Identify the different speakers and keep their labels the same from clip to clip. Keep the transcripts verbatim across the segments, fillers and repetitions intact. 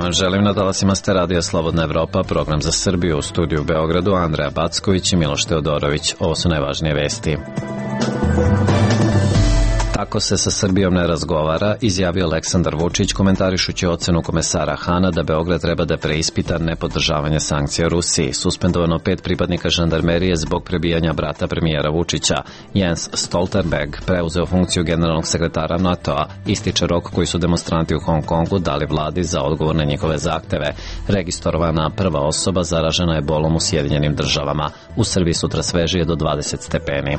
Speaker 1: dan, želim na talasima ste Radio Slobodna Evropa, program za Srbiju, u studiju u Beogradu Andreja Backović i Miloš Teodorović. Ovo su najvažnije vesti. Tako se sa Srbijom ne razgovara, izjavio Aleksandar Vučić komentarišući ocenu komesara Hana da Beograd treba da preispita nepodržavanje sankcija Rusiji. Suspendovano pet pripadnika žandarmerije zbog prebijanja brata premijera Vučića. Jens Stoltenberg preuzeo funkciju generalnog sekretara NATO-a. Ističe rok koji su demonstranti u Hong Kongu dali vladi za odgovor na njihove zahteve. Registrovana prva osoba zaražena je bolom u Sjedinjenim državama. U Srbiji sutra svežije do dvadeset stepeni.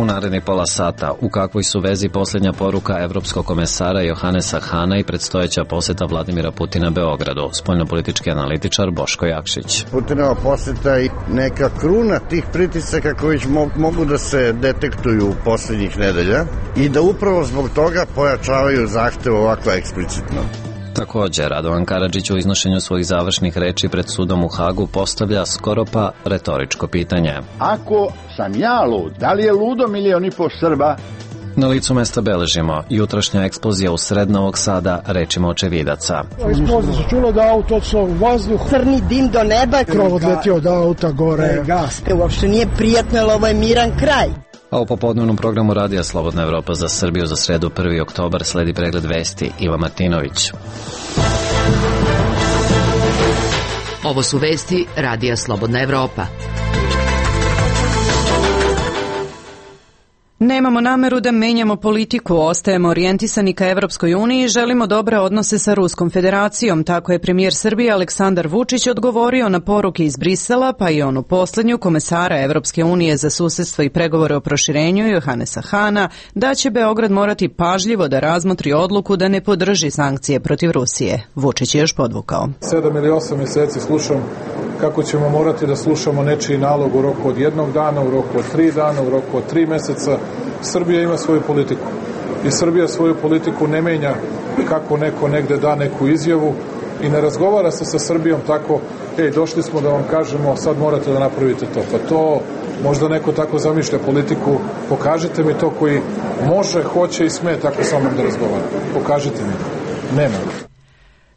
Speaker 1: U narednih pola sata, u kakvoj su vezi posljednja poruka evropskog komesara Johannesa Hana i predstojeća poseta Vladimira Putina Beogradu? Spoljnopolitički analitičar Boško Jakšić.
Speaker 2: Putinova poseta i neka kruna tih pritisaka koji mogu da se detektuju posljednjih nedelja i da upravo zbog toga pojačavaju zahtev ovako eksplicitno.
Speaker 1: Također, Radovan Karadžić u iznošenju svojih završnih reči pred sudom u Hagu postavlja skoro pa retoričko pitanje.
Speaker 3: Ako sam ja lud, da li je ludo milion i po Srba?
Speaker 1: Na licu mesta beležimo jutrašnja eksplozija u sred Novog Sada, rečima očevidaca.
Speaker 4: Eksplozija se čula da auto otišlo u vazduh.
Speaker 5: Crni dim do neba.
Speaker 4: Krov odletio od auta gore.
Speaker 5: Gas. Uopšte nije prijatno, ali ovo je miran kraj.
Speaker 1: A u popodnevnom programu Radija Slobodna Evropa za Srbiju za sredu prvi oktobar sledi pregled vesti. Iva Martinović.
Speaker 6: Ovo su vesti Radija Slobodna Evropa.
Speaker 7: Nemamo nameru da menjamo politiku, ostajemo orijentisani ka Evropskoj uniji i želimo dobre odnose sa Ruskom federacijom. Tako je premijer Srbije Aleksandar Vučić odgovorio na poruke iz Brisela, pa i onu poslednju komesara Evropske unije za susedstvo i pregovore o proširenju Johannesa Hana, da će Beograd morati pažljivo da razmotri odluku da ne podrži sankcije protiv Rusije. Vučić je još podvukao.
Speaker 8: Sedam ili osam mjeseci slušam kako ćemo morati da slušamo nečiji nalog u roku od jednog dana, u roku od tri dana, u roku od tri meseca. Srbija ima svoju politiku i Srbija svoju politiku ne menja kako neko negde da neku izjavu i ne razgovara se sa Srbijom tako, ej, došli smo da vam kažemo, sad morate da napravite to. Pa to možda neko tako zamišlja politiku, pokažite mi to koji može, hoće i sme tako sa mnom da razgovara. Pokažite mi. Nema.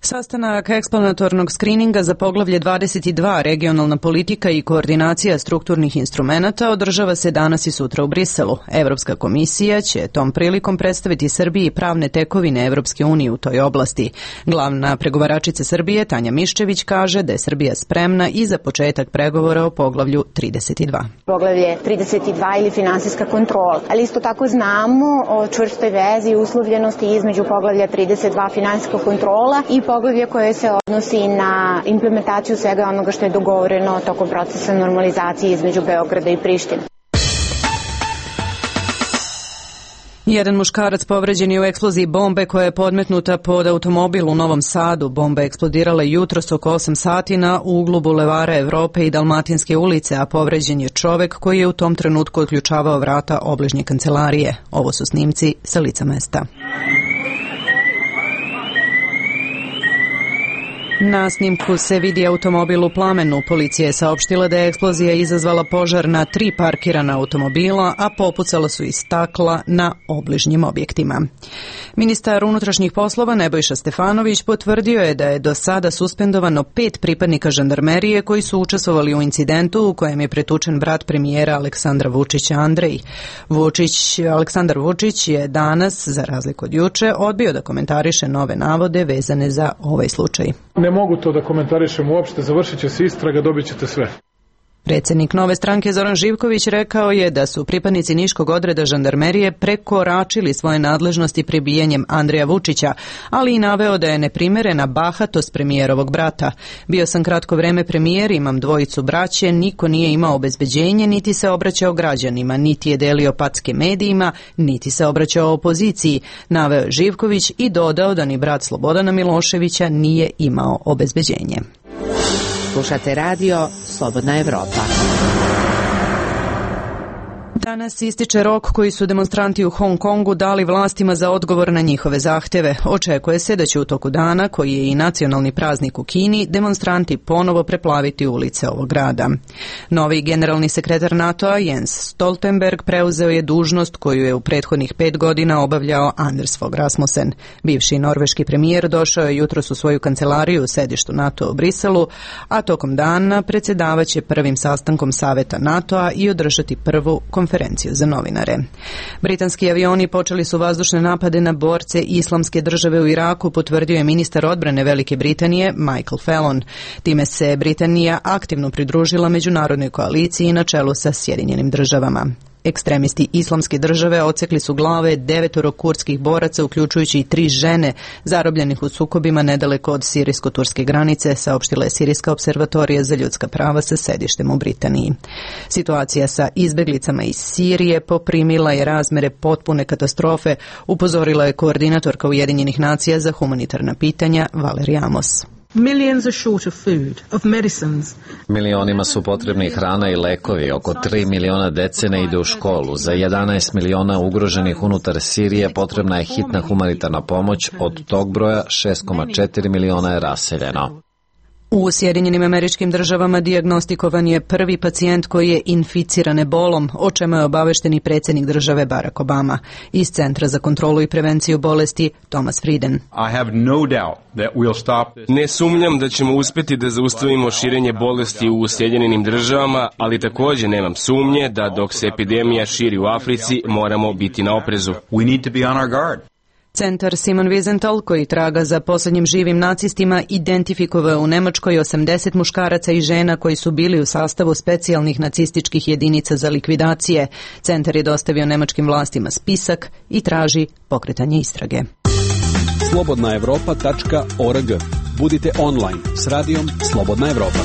Speaker 7: Sastanak eksplanatornog skrininga za poglavlje dvadeset dva regionalna politika i koordinacija strukturnih instrumenata održava se danas i sutra u Briselu. Evropska komisija će tom prilikom predstaviti Srbiji pravne tekovine Evropske unije u toj oblasti. Glavna pregovaračica Srbije Tanja Miščević kaže da je Srbija spremna i za početak pregovora o poglavlju trideset dva.
Speaker 9: Poglavlje trideset dva ili finansijska kontrola, ali isto tako znamo o čvrstoj vezi i uslovljenosti između poglavlja trideset dva finansijska kontrola i poglavlje koje se odnosi na implementaciju svega onoga što je dogovoreno tokom procesa normalizacije između Beograda i Prištine.
Speaker 7: Jedan muškarac povređen je u eksploziji bombe koja je podmetnuta pod automobil u Novom Sadu. Bomba je eksplodirala jutros oko osam sati na uglu Bulevara Evrope i Dalmatinske ulice, a povređen je čovek koji je u tom trenutku otključavao vrata obližnje kancelarije. Ovo su snimci sa lica mesta. Na snimku se vidi automobil u plamenu. Policija je saopštila da je eksplozija izazvala požar na tri parkirana automobila, a popucala su i stakla na obližnjim objektima. Ministar unutrašnjih poslova Nebojša Stefanović potvrdio je da je do sada suspendovano pet pripadnika žandarmerije koji su učestvovali u incidentu u kojem je pretučen brat premijera Aleksandra Vučića Andrej. Vučić, Aleksandar Vučić je danas, za razliku od juče, odbio da komentariše nove navode vezane za ovaj slučaj.
Speaker 8: Ne mogu to da komentarišem uopšte, završit će se istraga, dobit ćete sve.
Speaker 7: Predsjednik Nove stranke Zoran Živković rekao je da su pripadnici Niškog odreda žandarmerije prekoračili svoje nadležnosti prebijanjem Andreja Vučića, ali i naveo da je neprimerena bahatost premijerovog brata. Bio sam kratko vreme premijer, imam dvojicu braće, niko nije imao obezbeđenje, niti se obraćao građanima, niti je delio packe medijima, niti se obraćao opoziciji, naveo Živković i dodao da ni brat Slobodana Miloševića nije imao obezbeđenje.
Speaker 6: Slušate radio Slobodna Evropa.
Speaker 7: Danas ističe rok koji su demonstranti u Hong Kongu dali vlastima za odgovor na njihove zahteve. Očekuje se da će u toku dana, koji je i nacionalni praznik u Kini, demonstranti ponovo preplaviti ulice ovog grada. Novi generalni sekretar NATO-a Jens Stoltenberg preuzeo je dužnost koju je u prethodnih pet godina obavljao Anders Fogh Rasmussen. Bivši norveški premijer došao je jutros u svoju kancelariju u sedištu NATO u Briselu, a tokom dana predsjedavaće prvim sastankom Saveta NATO-a i održati prvu konferenciju za novinare. Britanski avioni počeli su vazdušne napade na borce Islamske države u Iraku, potvrdio je ministar odbrane Velike Britanije Michael Fallon. Time se Britanija aktivno pridružila međunarodnoj koaliciji na čelu sa Sjedinjenim državama. Ekstremisti Islamske države odsekli su glave devetoro kurdskih boraca, uključujući i tri žene zarobljenih u sukobima nedaleko od sirijsko-turske granice, saopštila je Sirijska observatorija za ljudska prava sa sedištem u Britaniji. Situacija sa izbeglicama iz Sirije poprimila je razmere potpune katastrofe, upozorila je koordinatorka Ujedinjenih nacija za humanitarna pitanja Valerie Amos.
Speaker 10: Millions are short of food, of medicines.
Speaker 1: Milionima su potrebni hrana i lekovi, oko tri miliona dece ne ide u školu, za jedanaest miliona ugroženih unutar Sirije potrebna je hitna humanitarna pomoć, od tog broja šest zarez četiri miliona je raseljeno.
Speaker 7: U Sjedinjenim Američkim Državama dijagnostikovan je prvi pacijent koji je inficiran ebolom, o čemu je obavešteni predsjednik države Barack Obama. Iz Centra za kontrolu i prevenciju bolesti Thomas Frieden.
Speaker 11: Ne sumnjam da ćemo uspjeti da zaustavimo širenje bolesti u Sjedinjenim Državama, ali također nemam sumnje da dok se epidemija širi u Africi moramo biti na oprezu.
Speaker 7: Centar Simon Wiesenthal, koji traga za posljednjim živim nacistima, identifikovao u Nemačkoj osamdeset muškaraca i žena koji su bili u sastavu specijalnih nacističkih jedinica za likvidacije. Centar je dostavio nemačkim vlastima spisak i traži pokretanje istrage.
Speaker 12: slobodna evropa tačka org. Budite online s radijom Slobodna Evropa.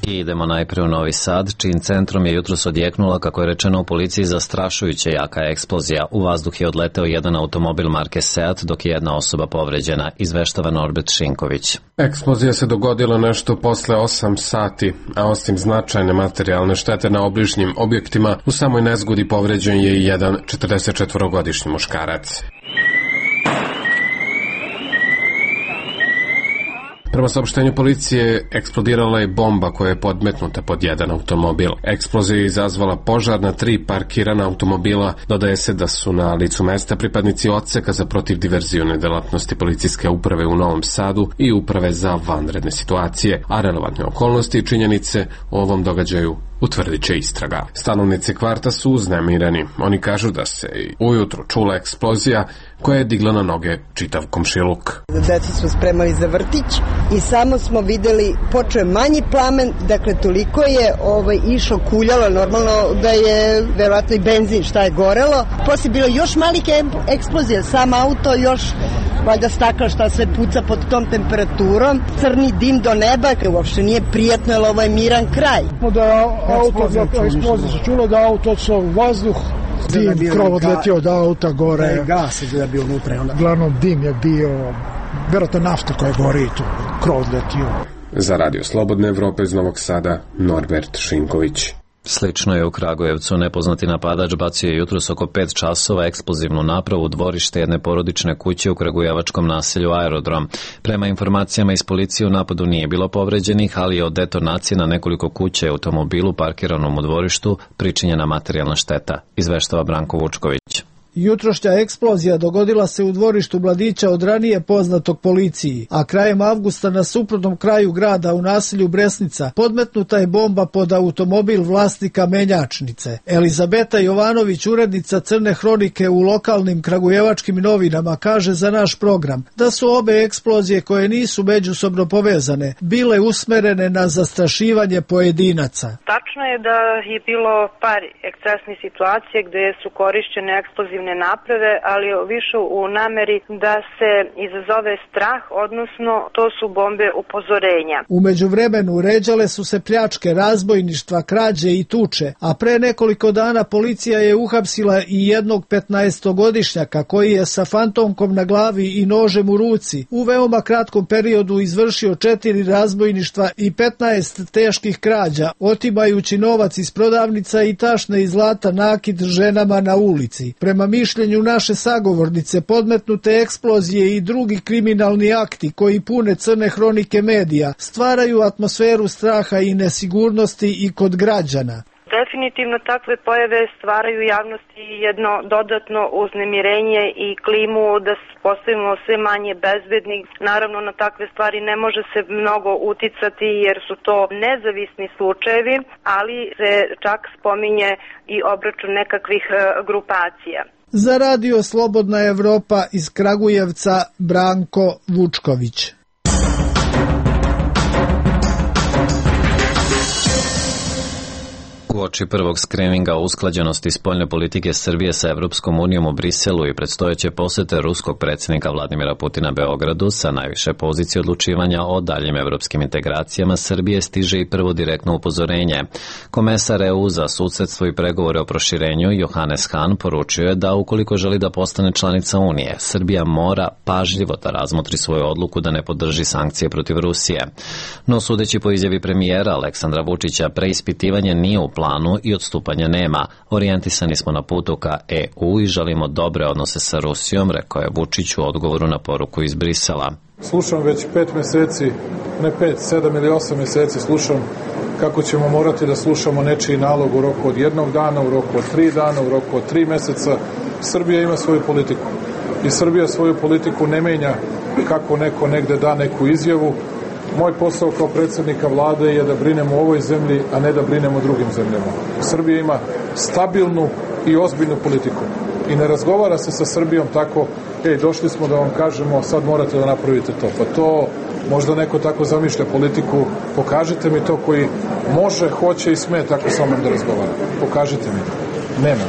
Speaker 1: I idemo najprije u Novi Sad, čijim centrom je jutros odjeknula, kako je rečeno u policiji, zastrašujuće jaka eksplozija. U vazduh je odleteo jedan automobil marke Seat, dok je jedna osoba povređena, izveštava Norbert Šinković.
Speaker 13: Eksplozija se dogodila nešto posle osam sati, a osim značajne materijalne štete na obližnjim objektima, u samoj nezgodi povređen je i jedan četrdesetčetvorogodišnji muškarac. Prema saopštenju policije, eksplodirala je bomba koja je podmetnuta pod jedan automobil. Eksplozija je izazvala požar na tri parkirana automobila. Dodaje se da su na licu mesta pripadnici odseka za protivdiverzione delatnosti policijske uprave u Novom Sadu i uprave za vanredne situacije, a relevantne okolnosti i činjenice o ovom događaju utvrdit će istraga. Stanovnici kvarta su uznemireni. Oni kažu da se i ujutru čula eksplozija koja je digla na noge čitav komšiluk.
Speaker 5: Deca smo spremali za vrtić i samo smo videli, počeo je manji plamen, dakle toliko je ovaj, išlo, kuljalo, normalno da je verovatno i benzin šta je gorelo. Poslije bilo još malih eksplozija, sam auto još valjda stakla šta sve puca pod tom temperaturom, crni dim do neba, uopšte nije prijatno, jer ovo je miran kraj.
Speaker 4: Da auto, eksplozija se čulo da auto odsao u vazduh, dim, krov odletio od auta gore. Da je gas je bio unutra. Glavnom dim je bio, vjerojatno nafta koja gori tu, krov odletio.
Speaker 13: Za Radio Slobodne Evrope iz Novog Sada, Norbert Šinković.
Speaker 1: Slično je u Kragujevcu. Nepoznati napadač bacio je jutros oko pet časova eksplozivnu napravu u dvorište jedne porodične kuće u kragujevačkom naselju Aerodrom. Prema informacijama iz policije u napadu nije bilo povređenih, ali je od detonacije na nekoliko kuća i automobilu parkiranom u dvorištu pričinjena materijalna šteta, izveštava Branko Vučković.
Speaker 14: Jutrošnja eksplozija dogodila se u dvorištu mladića od ranije poznatog policiji, a krajem avgusta na suprotnom kraju grada u naselju Bresnica podmetnuta je bomba pod automobil vlasnika menjačnice. Elizabeta Jovanović, urednica Crne hronike u lokalnim kragujevačkim novinama, kaže za naš program da su obe eksplozije, koje nisu međusobno povezane, bile usmerene na zastrašivanje pojedinaca.
Speaker 15: Tačno je da je bilo par ekscesnih situacija gde su korišćene eksplozivne ne naprave, ali više u nameri da se izazove strah, odnosno to su bombe upozorenja.
Speaker 14: U međuvremenu ređale su se pljačke, razbojništva, krađe i tuče, a pre nekoliko dana policija je uhapsila i jednog petnaestogodišnjaka koji je sa fantomkom na glavi i nožem u ruci u veoma kratkom periodu izvršio četiri razbojništva i petnaest teških krađa, otimajući novac iz prodavnica i tašne i zlata nakit ženama na ulici. Prema mišljenju naše sagovornice, podmetnute eksplozije i drugi kriminalni akti koji pune crne hronike medija stvaraju atmosferu straha i nesigurnosti i kod građana.
Speaker 15: Definitivno takve pojave stvaraju javnosti jedno dodatno uznemirenje i klimu da postavimo sve manje bezbedni. Naravno, na takve stvari ne može se mnogo uticati jer su to nezavisni slučajevi, ali se čak spominje i obračun nekakvih grupacija.
Speaker 14: Za Radio Slobodna Evropa iz Kragujevca Branko Vučković.
Speaker 1: Uoči prvog skrininga o usklađenosti spoljne politike Srbije sa Evropskom unijom u Briselu i predstojeće posete ruskog predsjednika Vladimira Putina Beogradu sa najviše pozicije odlučivanja o daljim evropskim integracijama Srbije stiže i prvo direktno upozorenje. Komesar E U za susedstvo i pregovore o proširenju Johannes Hahn poručio je da ukoliko želi da postane članica Unije, Srbija mora pažljivo da razmotri svoju odluku da ne podrži sankcije protiv Rusije. No sudeći po izjavi premijera Aleksandra Vučića, preispitivanje nije u planu i odstupanja nema. Orijentisani smo na putu ka E U i želimo dobre odnose sa Rusijom, rekao je Vučić u odgovoru na poruku iz Brisela.
Speaker 8: Slušam već pet meseci, ne pet, sedam ili osam meseci slušam kako ćemo morati da slušamo nečiji nalog u roku od jednog dana, u roku od tri dana, u roku od tri meseca. Srbija ima svoju politiku i Srbija svoju politiku ne menja kako neko negde da neku izjavu. Moj posao kao predsjednika vlade je da brinemo o ovoj zemlji, a ne da brinemo o drugim zemljama. Srbija ima stabilnu i ozbiljnu politiku i ne razgovara se sa Srbijom tako, ej, došli smo da vam kažemo, sad morate da napravite to. Pa to možda neko tako zamišlja politiku, pokažite mi to koji može, hoće i sme tako sa mnom da razgovara. Pokažite mi to. Nema.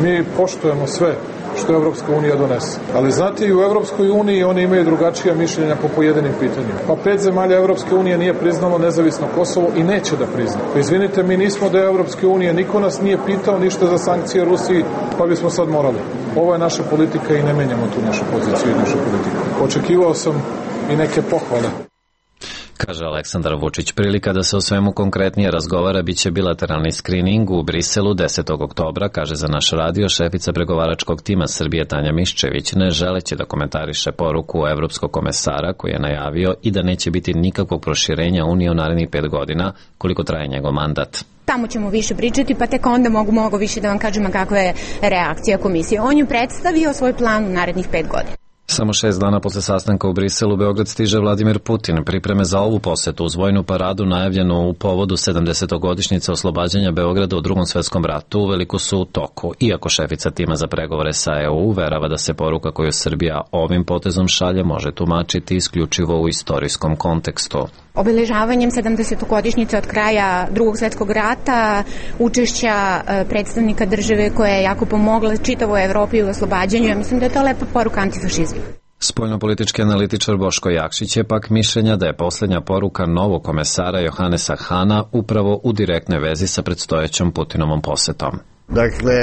Speaker 8: Mi poštujemo sve što Evropska unija donese. Ali znate, i u Evropskoj uniji oni imaju drugačija mišljenja po pojedinim pitanjima. Pa pet zemalja Evropske unije nije priznalo nezavisno Kosovo i neće da prizna. Pa izvinite, mi nismo da je Evropske unije, niko nas nije pitao ništa za sankcije Rusiji, pa bismo sad morali. Ovo je naša politika i ne menjamo tu našu poziciju i našu politiku. Očekivao sam i neke pohvale.
Speaker 1: Kaže Aleksandar Vučić. Prilika da se o svemu konkretnije razgovara biće bilateralni skrining u Briselu desetog oktobra, kaže za naš radio šefica pregovaračkog tima Srbije Tanja Miščević, ne želeći da komentariše poruku evropskog komesara koji je najavio i da neće biti nikakvog proširenja Unije u narednih pet godina koliko traje njegov mandat.
Speaker 9: Tamo ćemo više pričati, pa tek onda mogu mnogo više da vam kažem kakva je reakcija komisije. On ju predstavio svoj plan u narednih pet godina.
Speaker 1: Samo šest dana posle sastanka u Briselu, Beograd stiže Vladimir Putin. Pripreme za ovu posetu uz vojnu paradu najavljenu u povodu sedamdesetogodišnjice oslobađanja Beograda u Drugom svetskom ratu uveliko su u toku. Iako šefica tima za pregovore sa E U verava da se poruka koju Srbija ovim potezom šalje može tumačiti isključivo u istorijskom kontekstu.
Speaker 9: Obeležavanjem sedamdesetogodišnjice od kraja Drugog svjetskog rata, učešća predstavnika države koja je jako pomogla čitavoj Evropi u oslobađanju, ja mislim da je to lepa poruka antifašizmu.
Speaker 1: Spoljnopolitički analitičar Boško Jakšić je pak mišljenja da je posljednja poruka novog komesara Johannesa Hahna upravo u direktnoj vezi sa predstojećom Putinovom posetom.
Speaker 2: Dakle,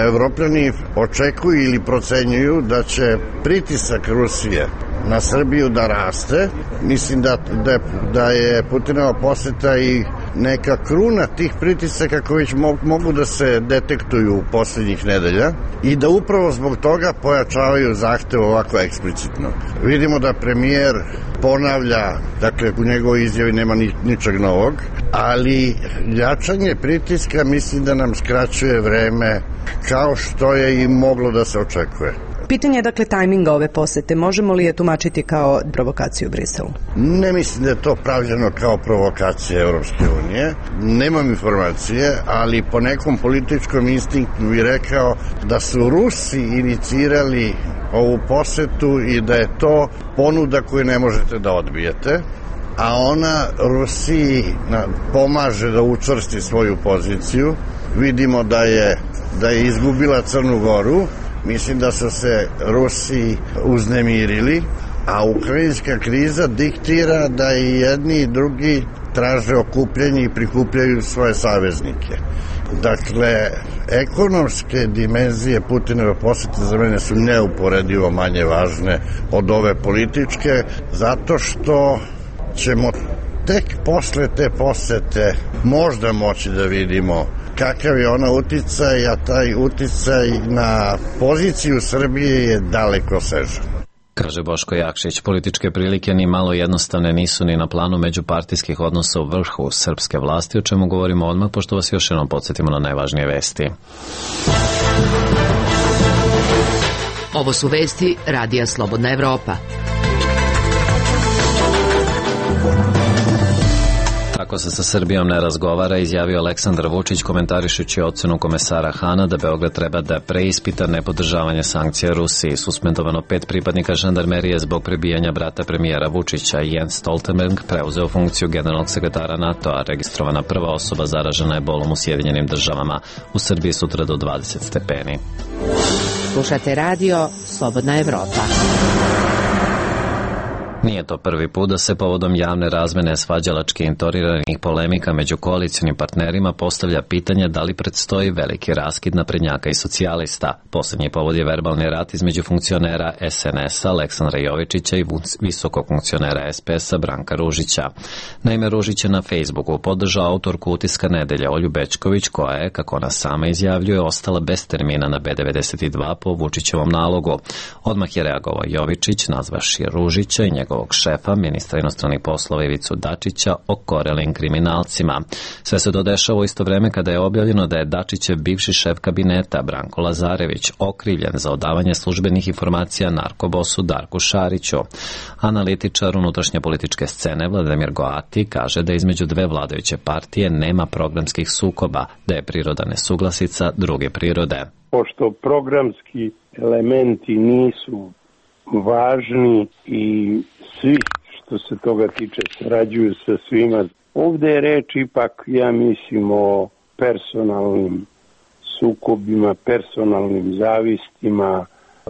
Speaker 2: Evropljani očekuju ili procenjuju da će pritisak Rusije na Srbiju da raste. Mislim da, da, da je Putinova poseta i neka kruna tih pritisaka koji već mogu da se detektuju posljednjih nedelja i da upravo zbog toga pojačavaju zahtev ovako eksplicitno. Vidimo da premijer ponavlja, dakle u njegovoj izjavi nema ni, ničeg novog, ali jačanje pritiska mislim da nam skraćuje vreme kao što je i moglo da se očekuje.
Speaker 7: Pitanje je dakle tajminga ove posete. Možemo li je tumačiti kao provokaciju u Briselu?
Speaker 2: Ne mislim da je to pravljeno kao provokacija Evropske unije. Nemam informacije, ali po nekom političkom instinktu bih rekao da su Rusi inicirali ovu posetu i da je to ponuda koju ne možete da odbijete, a ona Rusiji pomaže da učvrsti svoju poziciju. Vidimo da je, da je izgubila Crnu Goru, Mislim da su se Rusi uznemirili, a ukrajinska kriza diktira da i jedni i drugi traže okupljanje i prikupljaju svoje saveznike. Dakle, ekonomske dimenzije Putinove posete za mene su neuporedivo manje važne od ove političke, zato što ćemo tek posle te posete možda moći da vidimo kakav je ona uticaj, a taj uticaj na poziciju Srbije je daleko sežan.
Speaker 1: Kaže Boško Jakšić, političke prilike ni malo jednostavne nisu ni na planu međupartijskih odnosa u vrhu srpske vlasti, o čemu govorimo odmah, pošto vas još jednom podsjetimo na najvažnije vesti.
Speaker 6: Ovo su vesti Radija Slobodna Evropa.
Speaker 1: Tako se sa Srbijom ne razgovara, izjavio Aleksandar Vučić komentarišući ocenu komesara Hana da Beograd treba da preispita nepodržavanje sankcija Rusiji. Suspendovano pet pripadnika žandarmerije zbog prebijanja brata premijera Vučića. Jens Stoltenberg preuzeo funkciju generalnog sekretara NATO-a. Registrovana prva osoba zaražena je bolom u Sjedinjenim državama. U Srbiji sutra do dvadeset stepeni.
Speaker 6: Slušate radio Slobodna Evropa.
Speaker 1: Nije to prvi put da se povodom javne razmene svađalački intoniranih polemika među koalicionim partnerima postavlja pitanje da li predstoji veliki raskid naprednjaka i socijalista. Poslednji povod je verbalni rat između funkcionera S N S-a Aleksandra Jovičića i visokog funkcionera S P S-a Branka Ružića. Naime, Ružić je na Facebooku podržao autorku Utiska nedelje Olju Bećković, koja je, kako ona sama izjavljuje, ostala bez termina na B devedeset dva po Vučićevom nalogu. Odmah je reagovao Jovičić, nazvaši Ružića i njegov šefa, ministra inostranih poslova Ivicu Dačića, okorelim kriminalcima. Sve se to dešava u isto vreme kada je objavljeno da je Dačićev bivši šef kabineta Branko Lazarević okrivljen za odavanje službenih informacija narkobosu Darku Šariću. Analitičar unutrašnje političke scene Vladimir Goati kaže da između dve vladajuće partije nema programskih sukoba, da je priroda nesuglasica druge prirode.
Speaker 16: Pošto programski elementi nisu važni i svi što se toga tiče sarađuju sa svima. Ovde je reč ipak, ja mislim, o personalnim sukobima, personalnim zavistima.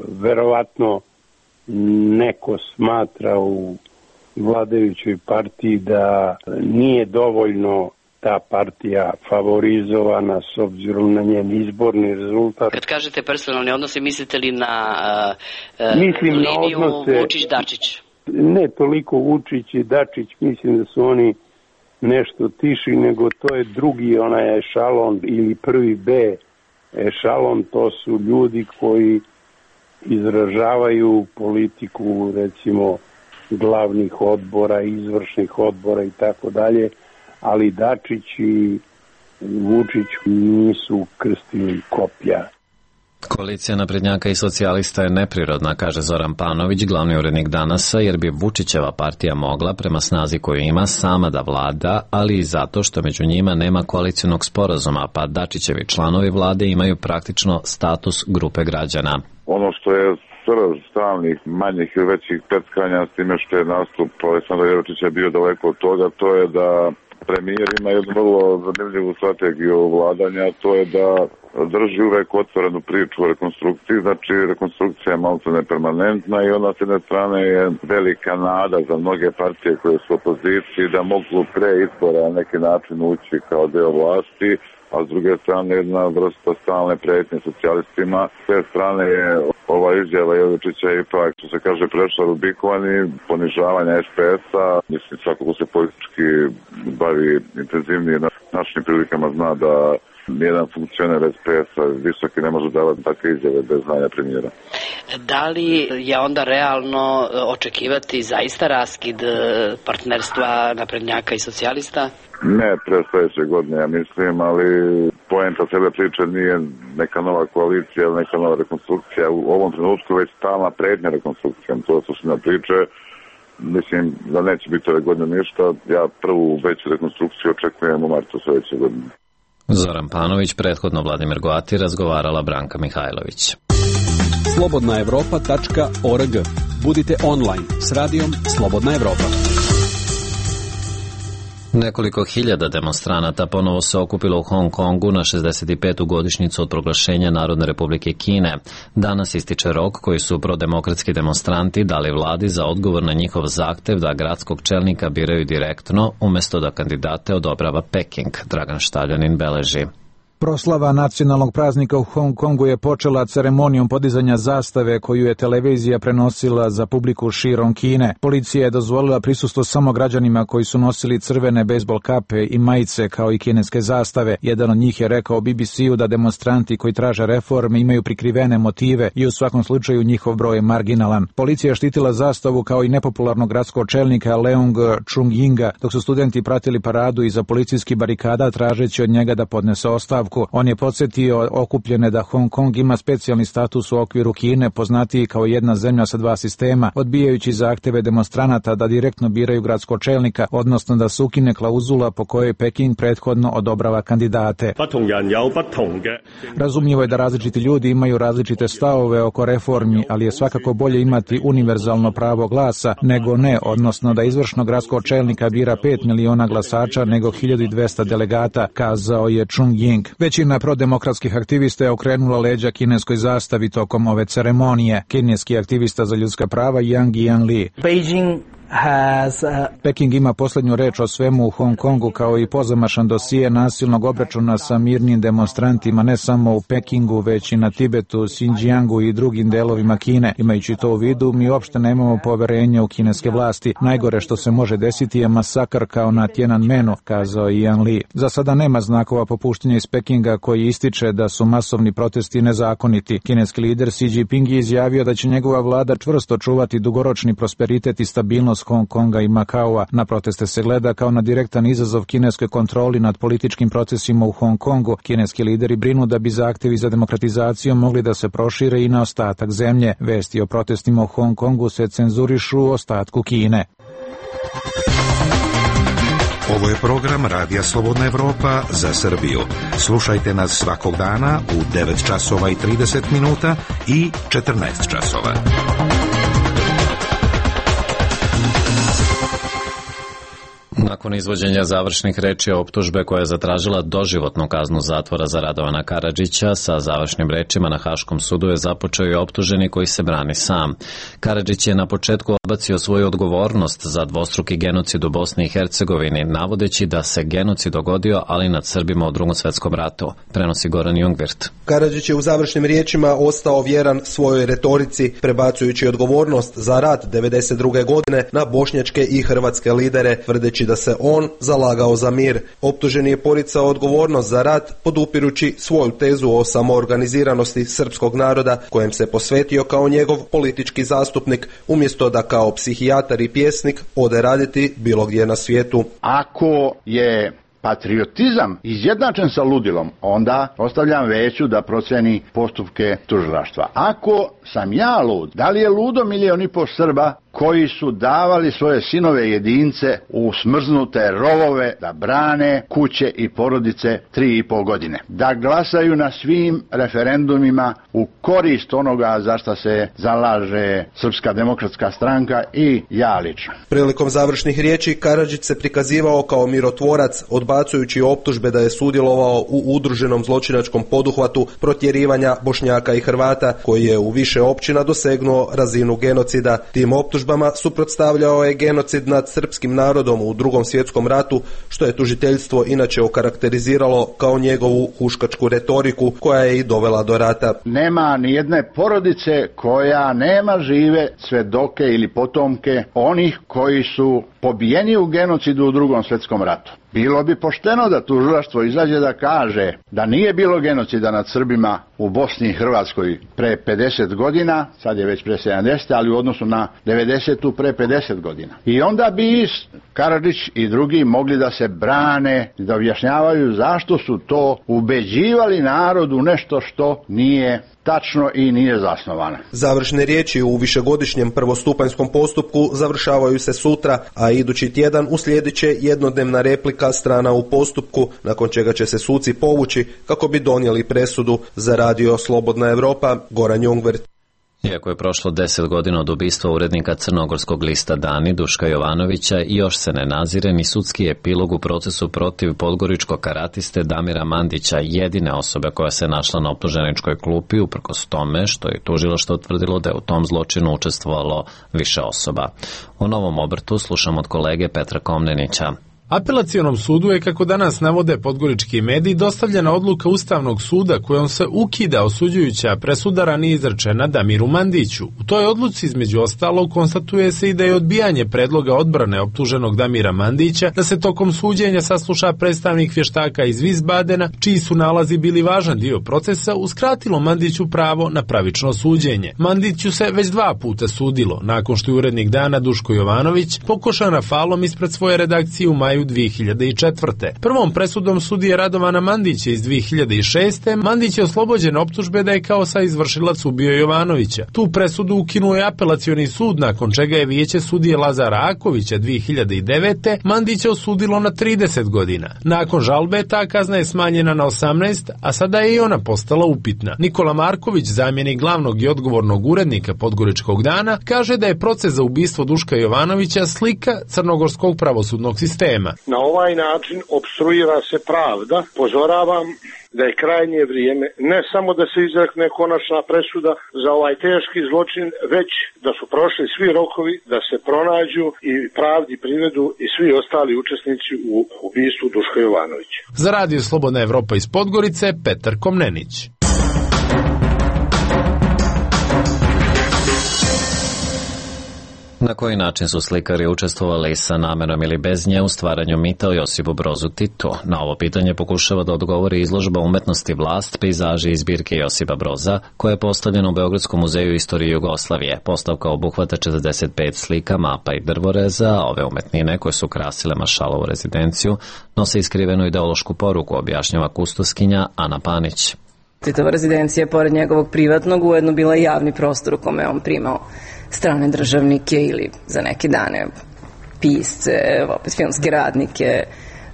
Speaker 16: Verovatno neko smatra u vladajućoj partiji da nije dovoljno ta partija favorizovana s obzirom na njen izborni rezultat.
Speaker 17: Kad kažete personalni odnose, mislite li na uh,
Speaker 16: mislim
Speaker 17: liniju
Speaker 16: na odnose,
Speaker 17: Vučić-Dačić?
Speaker 16: Ne toliko Vučić i Dačić, mislim da su oni nešto tiši, nego to je drugi onaj ešalon ili prvi B ešalon, to su ljudi koji izražavaju politiku, recimo, glavnih odbora, izvršnih odbora i tako dalje, ali Dačić i Vučić nisu krstili kopja.
Speaker 1: Koalicija naprednjaka i socijalista je neprirodna, kaže Zoran Panović, glavni urednik Danasa, jer bi Vučićeva partija mogla, prema snazi koju ima, sama da vlada, ali i zato što među njima nema koalicionog sporazuma, pa Dačićevi članovi vlade imaju praktično status grupe građana.
Speaker 18: Ono što je srž stalnih, manjih i većih peckanja, s time što je nastup Aleksandra Jovičića bio daleko od toga, to je da premijer ima jednu vrlo zanimljivu strategiju vladanja, to je da drži uvek otvorenu priču o rekonstrukciji, znači rekonstrukcija je malo nepermanentna i ona s jedne strane je velika nada za mnoge partije koje su u opoziciji da mogu pre izbora na neki način ući kao deo vlasti, a s druge strane jedna vrsta stalne pretnje socijalistima. S te strane je ova izjava Jovičića ipak, što se kaže, prešla Rubikovan i ponižavanja S P S-a. Mislim, svako ko se politički bavi intenzivnije na našim prilikama zna da nijedan funkcioner S P S-a visoki ne može davati takve izjave bez znanja premijera.
Speaker 17: Da li je onda realno očekivati zaista raskid partnerstva naprednjaka i socijalista?
Speaker 18: Ne, pre sledeće godine, ja mislim, ali poenta cele priče nije neka nova koalicija, neka nova rekonstrukcija. U ovom trenutku već stalna prednja rekonstrukcija, to je suština priče. Mislim da neće biti ove godine ništa. Ja prvu veću rekonstrukciju očekujem u martu sledeće godine.
Speaker 1: Zoran Panović, prethodno Vladimir Goati, razgovarala Branka Mihajlović.
Speaker 12: slobodna evropa tačka org. Budite online s radijom Slobodna Evropa.
Speaker 1: Nekoliko hiljada demonstranata ponovo se okupilo u Hong Kongu na šezdeset petu godišnjicu od proglašenja Narodne republike Kine. Danas ističe rok koji su prodemokratski demonstranti dali vladi za odgovor na njihov zahtev da gradskog čelnika biraju direktno umesto da kandidate odobrava Peking. Dragan Štaljanin beleži.
Speaker 19: Proslava nacionalnog praznika u Hong Kongu je počela ceremonijom podizanja zastave koju je televizija prenosila za publiku širom Kine. Policija je dozvolila prisustvo samo građanima koji su nosili crvene bejsbol kape i majice kao i kineske zastave. Jedan od njih je rekao B B C-u da demonstranti koji traže reforme imaju prikrivene motive i u svakom slučaju njihov broj je marginalan. Policija je štitila zastavu kao i nepopularnog gradskog čelnika Leung Chun-yinga, dok su studenti pratili paradu iza policijskih barikada tražeći od njega da podnese ostavku. On je podsjetio okupljene da Hong Kong ima specijalni status u okviru Kine, poznatiji kao jedna zemlja sa dva sistema, odbijajući zahteve demonstranata da direktno biraju gradskog čelnika, odnosno da se ukine klauzula po kojoj Peking prethodno odobrava kandidate. Razumljivo je da različiti ljudi imaju različite stavove oko reformi, ali je svakako bolje imati univerzalno pravo glasa nego ne, odnosno da izvršno gradskog čelnika bira pet miliona glasača nego hiljadu dvesta delegata, kazao je Chung-ying. Većina prodemokratskih aktivista je okrenula leđa kineskoj zastavi tokom ove ceremonije. Kineski aktivista za ljudska prava Yang Jianli. Beijing Has, uh... Peking ima posljednju reč o svemu u Hong Kongu kao i pozamašan dosije nasilnog obračuna sa mirnim demonstrantima ne samo u Pekingu već i na Tibetu, Xinjiangu i drugim delovima Kine. Imajući to u vidu, mi uopšte nemamo poverenja u kineske vlasti. Najgore što se može desiti je masakr kao na Tiananmenu, kazao je Yan Li. Za sada nema znakova popuštenja iz Pekinga koji ističe da su masovni protesti nezakoniti. Kineski lider Xi Jinping je izjavio da će njegova vlada čvrsto čuvati dugoročni prosperitet i stabilnost Hong Konga i Makaua. Na proteste se gleda kao na direktan izazov kineskoj kontroli nad političkim procesima u Hong Kongu. Kineski lideri brinu da bi zahtevi za demokratizaciju mogli da se prošire i na ostatak zemlje. Vesti o protestima u Hong Kongu se cenzurišu u ostatku Kine.
Speaker 20: Ovo je program Radija Slobodna Evropa za Srbiju. Slušajte nas svakog dana u devet časova i trideset minuta i četrnaest časova.
Speaker 1: Nakon izvođenja završnih reči optužbe koja je zatražila doživotnu kaznu zatvora za Radovana Karadžića, sa završnim rečima na Haškom sudu je započeo i optuženi koji se brani sam. Karadžić je na početku odbacio svoju odgovornost za dvostruki genocid u Bosni i Hercegovini, navodeći da se genocid dogodio, ali nad Srbima u Drugom svetskom ratu, prenosi Goran Jungvirt.
Speaker 21: Karadžić je u završnim riječima ostao vjeran svojoj retorici, prebacujući odgovornost za rat devedeset druge godine na bošnjačke i hrvatske lidere, tvrdeći da se on zalagao za mir. Optuženi je poricao odgovornost za rat, podupirući svoju tezu o samoorganiziranosti srpskog naroda, kojem se posvetio kao njegov politički zastupnik, umjesto da kao psihijatar i pjesnik ode raditi bilo gdje na svijetu.
Speaker 3: Ako je patriotizam izjednačen sa ludilom, onda ostavljam veću da proceni postupke tužilaštva. Ako sam ja lud, da li je ludo milion i po Srba koji su davali svoje sinove jedince u smrznute rovove da brane kuće i porodice tri i pol godine, da glasaju na svim referendumima u korist onoga za šta se zalaže Srpska demokratska stranka i ja lično.
Speaker 21: Prilikom završnih riječi Karadžić se prikazivao kao mirotvorac, odbacujući optužbe da je sudjelovao u udruženom zločinačkom poduhvatu protjerivanja Bošnjaka i Hrvata, koji je u više općina dosegnuo razinu genocida. Tim optužbama suprotstavljao je genocid nad srpskim narodom u Drugom svjetskom ratu, što je tužiteljstvo inače okarakteriziralo kao njegovu huškačku retoriku koja je i dovela do rata.
Speaker 3: Nema ni jedne porodice koja nema žive svedoke ili potomke onih koji su pobijeni u genocidu u Drugom svjetskom ratu. Bilo bi pošteno da tužilaštvo izađe da kaže da nije bilo genocida nad Srbima u Bosni i Hrvatskoj pre pedeset godina, sad je već pre sedamdeset, ali u odnosu na devedesetu pre pedeset godina. I onda bi Karadžić i drugi mogli da se brane, da objašnjavaju zašto su to ubeđivali narod u nešto što nije tačno i nije zasnovano.
Speaker 21: Završne riječi u višegodišnjem prvostupanjskom postupku završavaju se sutra, a idući tjedan uslijedit će jednodnevna replika strana u postupku, nakon čega će se suci povući kako bi donijeli presudu. Za Radio Slobodna Evropa, Goran Jungvirt.
Speaker 1: Iako je prošlo deset godina od ubistva urednika crnogorskog lista Dani, Duška Jovanovića, i još se ne nazire ni sudski epilog u procesu protiv podgoričkog karatiste Damira Mandića, jedine osobe koja se našla na optuženičkoj klupi, uprkos tome što je tužilaštvo utvrdilo da je u tom zločinu učestvovalo više osoba. O novom obrtu slušam od kolege Petra Komnenića.
Speaker 10: Apelacionom sudu je, kako danas navode podgorički mediji, dostavljena odluka Ustavnog suda kojom se ukida osuđujuća presuda ranije izrečena Damiru Mandiću. U toj odluci, između ostalog, konstatuje se i da je odbijanje predloga odbrane optuženog Damira Mandića da se tokom suđenja sasluša predstavnik vještaka iz Wiesbadena, čiji su nalazi bili važan dio procesa, uskratilo Mandiću pravo na pravično suđenje. Mandiću se već dva puta sudilo, nakon što je urednik Dana Duško Jovanović pokošan rafalom ispred svoje redakcije u maju dvije hiljade četvrte. Prvom presudom sudije Radovana Mandića iz dvije hiljade šeste. Mandić je oslobođen optužbe da je kao saizvršilac ubio Jovanovića. Tu presudu ukinuo je apelacioni sud, nakon čega je vijeće sudije Lazara Akovića dvije hiljade devete. Mandića osudilo na trideset godina. Nakon žalbe ta kazna je smanjena na osamnaest, a sada je i ona postala upitna. Nikola Marković, zamjenik glavnog i odgovornog urednika Podgoričkog dana, kaže da je proces za ubistvo Duška Jovanovića slika crnogorskog pravosudnog sistema.
Speaker 22: Na ovaj način opstruira se pravda. Pozoravam da je krajnje vrijeme ne samo da se izrekne konačna presuda za ovaj teški zločin, već da su prošli svi rokovi da se pronađu i pravdi privedu i svi ostali učesnici u ubistvu Duška Jovanovića.
Speaker 10: Za Radio Slobodna Evropa iz Podgorice, Petar Komnenić.
Speaker 1: Na koji način su slikari učestvovali sa namerom ili bez nje u stvaranju mita o Josipu Brozu Titu? Na ovo pitanje pokušava da odgovori izložba umetnosti Vlast, pejzaži iz zbirke Josipa Broza, koja je postavljena u Beogradskom muzeju istorije Jugoslavije. Postavka obuhvata četrdeset pet slika, mapa i drvoreza, a ove umetnine koje su krasile Maršalovu rezidenciju nose iskrivenu ideološku poruku, objašnjava kustoskinja Ana Panić.
Speaker 23: Titova rezidencija je pored njegovog privatnog ujedno bila i javni prostor u kome on primao strane državnike ili za neke dane pisce, opet filmske radnike,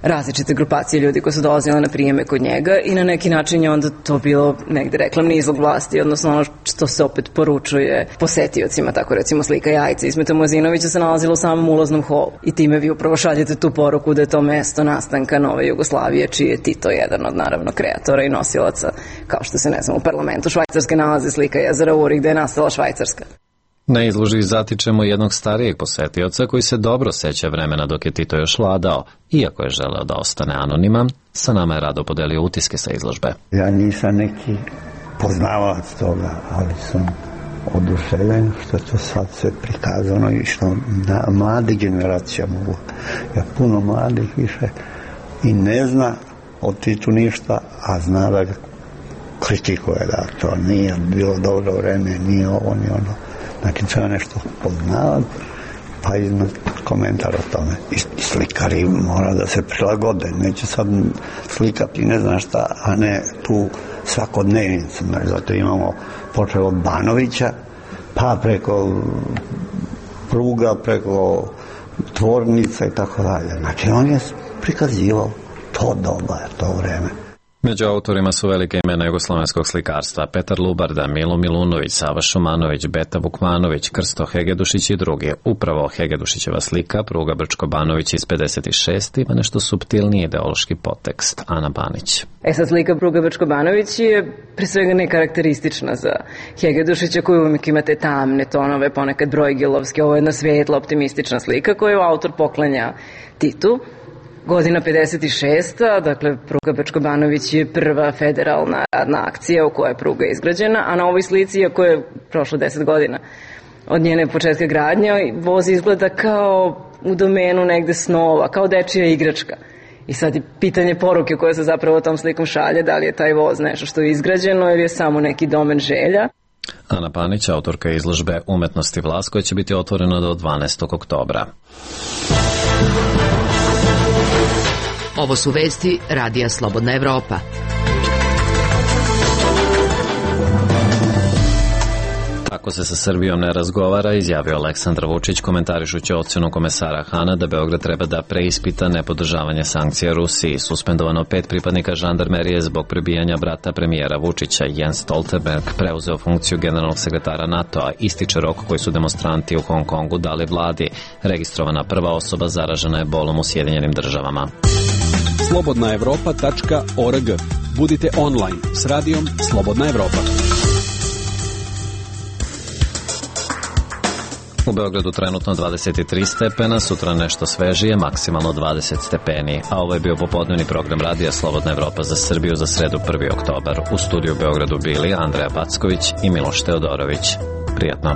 Speaker 23: različite grupacije ljudi koji su dolazili na prijeme kod njega i na neki način je onda to bilo negde reklamni izlog vlasti, odnosno ono što se opet poručuje posetiocima, tako recimo slika Jajca Ismeta Mojzinovića se nalazila u samom ulaznom holu i time vi upravo šaljete tu poruku da je to mesto nastanka nove Jugoslavije, čiji je Tito jedan od naravno kreatora i nosilaca, kao što se ne znam u parlamentu Švajcarske nalazi slika jezera Uri gde je nastala Švajcarska.
Speaker 1: Na izložbi zatičemo jednog starijeg posetioca koji se dobro seća vremena dok je Tito još vladao. Iako je želeo da ostane anoniman, sa nama je rado podelio utiske sa izložbe.
Speaker 24: Ja nisam neki poznavac toga, ali sam oduševljen što je to sad sve prikazano i što na mladi generacija mogu. Ja puno mladih više i ne zna o Titu ništa, a zna da ga kritikuje, da to nije bilo dobro vreme, nije ovo, ni ono. Znači, treba nešto poznavati, pa iznad komentar o tome. I slikari mora da se prilagode. Neće sad slikati ne znam šta, a ne tu svakodnevnicu. Znači, zato imamo počeo od Banovića, pa preko pruga, preko tvornica i tako dalje. Znači, on je prikazivao to doba, to vreme.
Speaker 1: Među autorima su velike imena jugoslovenskog slikarstva: Petar Lubarda, Milo Milunović, Sava Šumanović, Beta Vukmanović, Krsto Hegedušić i drugi. Upravo Hegedušićeva slika, pruga Brčko-Banović iz pedeset šeste ima nešto suptilniji ideološki podtekst. Ana Banić.
Speaker 23: E sad, slika pruga Brčko-Banović je pre svega nekarakteristična za Hegedušića, koji uvijek ima te tamne tonove, ponekad brojgilovske. Ovo je jedna svetla, optimistična slika koju autor poklanja Titu. Godina pedeset šesta, dakle, pruga Brčko-Banović je prva federalna radna akcija u kojoj je pruga izgrađena, a na ovoj slici, iako je prošlo deset godina od njene početka gradnje, voz izgleda kao u domenu negde snova, kao dečija igračka. I sad je pitanje poruke koje se zapravo tom slikom šalje, da li je taj voz nešto što je izgrađeno ili je samo neki domen želja.
Speaker 1: Ana Panić, autorka izložbe Umetnosti Vlast, koja će biti otvorena do dvanaestog oktobra.
Speaker 6: Ovo su vesti Radija Slobodna Evropa.
Speaker 1: Tako se sa Srbijom ne razgovara, izjavio Aleksandar Vučić komentarišući ocjenu komesara Hana da Beograd treba da preispita nepodržavanje sankcija Rusiji. Suspendovano pet pripadnika žandarmerije zbog prebijanja brata premijera Vučića. Jens Stoltenberg preuzeo funkciju generalnog sekretara NATO-a. Ističe rok koji su demonstranti u Hong Kongu dali vladi. Registrovana prva osoba zaražena je bolom u Sjedinjenim državama.
Speaker 12: slobodna evropa tačka org. Budite online s radijom Slobodna Evropa.
Speaker 1: U Beogradu trenutno dvadeset tri stepena, sutra nešto svežije, maksimalno dvadeset stepeni. A ovo je bio popodnevni program radija Slobodna Evropa za Srbiju za sredu prvi oktobar. U studiju u Beogradu bili Andreja Packović i Miloš Teodorović. Prijatno.